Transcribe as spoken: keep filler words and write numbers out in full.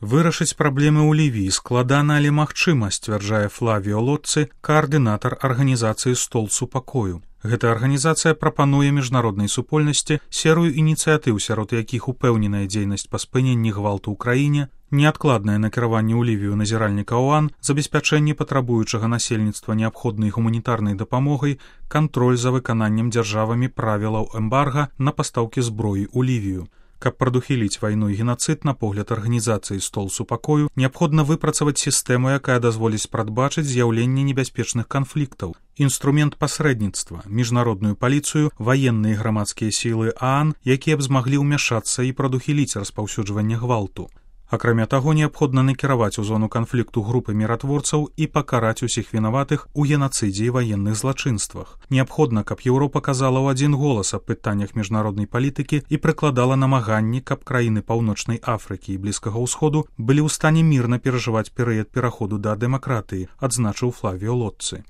Вырашыць праблемы ў Лівіі складана, але магчыма, сцвярджае Флавіо Лоцци, каардынатар арганізацыі «Стол супакою». Гэта арганізацыя прапануе міжнароднай супольнасці серыю ініцыятыў, сярод якіх упэўненая дзейнасць па спыненні гвалту ў краіне, неадкладнае накіраванне ў Лівію назіральніка ОАН, забеспячэнне патрабуючага насельніцтва неабходнай гуманітарнай дапамогай, кантроль за выкананнем дзяржавамі правілаў эмбарга на пастаўкі зброі ў Лівію. Каб прадухіліць вайну і генацыд, на погляд арганізацыі «Стол супакою», неабходна выпрацаваць сістэму, якая дазволіць прадбачыць з'яўленне небяспечных канфліктаў, інструмент пасрэдніцтва, міжнародную паліцыю, ваенныя і грамадскія сілы ААН, якія б змаглі ўмяшацца і прадухіліць распаўсюджванне гвалту. Акрамя таго, неабходна накіраваць у зону канфлікту групы міратворцаў і пакараць усіх вінаватых у генацыдзе і ваенных злачынствах. Неабходна, каб Еўропа казала ў адзін голас аб пытаннях міжнароднай палітыкі і прыкладала намаганні, каб краіны Паўночнай Афрыкі і Блізкага ўсходу былі ў стане мірна перажываць перыяд пераходу да дэмакратыі, адзначыў Флавіо Лоцци.